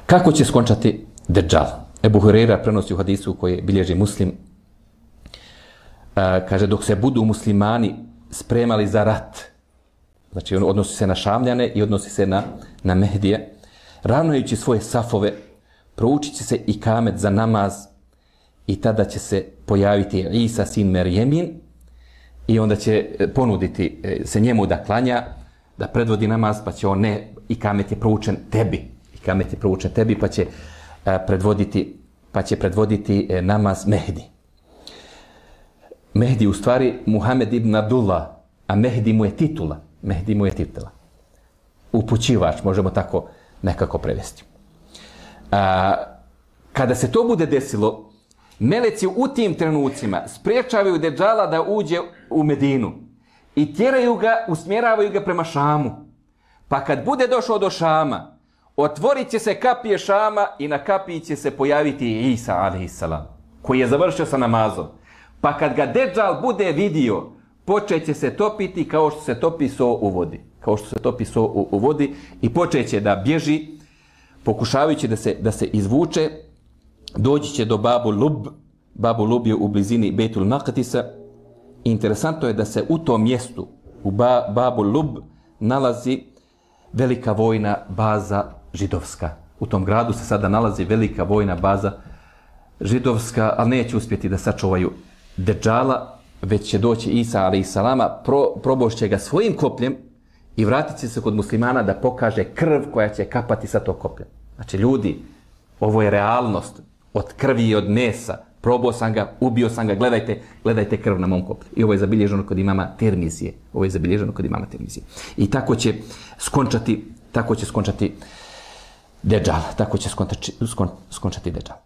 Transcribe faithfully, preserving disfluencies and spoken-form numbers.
Kako će skončati Dejjal? Ebu Hureyra prenosi u hadisu koji bilježi Muslim. A, kaže, dok se budu muslimani spremali za rat, znači odnosi se na Šamljane i odnosi se na, na Mehdije, ravnajući svoje safove, proučit će se i kamet za namaz i tada će se pojaviti Isa sin Merjemin i onda će ponuditi se njemu da klanja, da predvodi namaz, pa će on ne, i kamet je proučen tebi, i kamet je proučen tebi, pa će a, predvoditi, pa će predvoditi e, namaz Mehdi. Mehdi u stvari Muhammed ibn Abdullah, a Mehdi mu je titula. Mehdi mu je titula. Upućivač, možemo tako nekako prevesti. A, kada se to bude desilo, meleci u tim trenucima spriječavaju Dejjala da uđe u Medinu i tjeraju ga, usmjeravaju ga prema Šamu. Pa kad bude došao do Šama, otvorit će se kapije Šama i na kapiji će se pojaviti Isa alejhiselam, koji je završio sa namazom. Pa kad ga Dejjal bude vidio, počeće se topiti kao što se topi so u vodi. Kao što se topi so u, u vodi i počeće da bježi, pokušavajući da se, da se izvuče, doći će do Babu Lub. Babu Lub je u blizini Bejtul Maqdisa. Interesantno je da se u tom mjestu, u ba, Babu Lub, nalazi velika vojna baza židovska. U tom gradu se sada nalazi velika vojna baza židovska, ali neće uspjeti da sačuvaju Dejjala, već će doći Isa alejhiselama, pro, probošće ga svojim kopljem i vratit će se kod muslimana da pokaže krv koja će kapati sa tog koplja. Znači, ljudi, ovo je realnost. Od krvi i od mesa. Probao sam ga, ubio sam ga, gledajte, gledajte krv na mom koplju. I ovo je zabilježeno kod imama Tirmizije. Ovo je zabilježeno kod imama Tirmizije. I tako će skončati, tako će skončati Dejjal. Tako će skončati, skon, skončati Dejjal.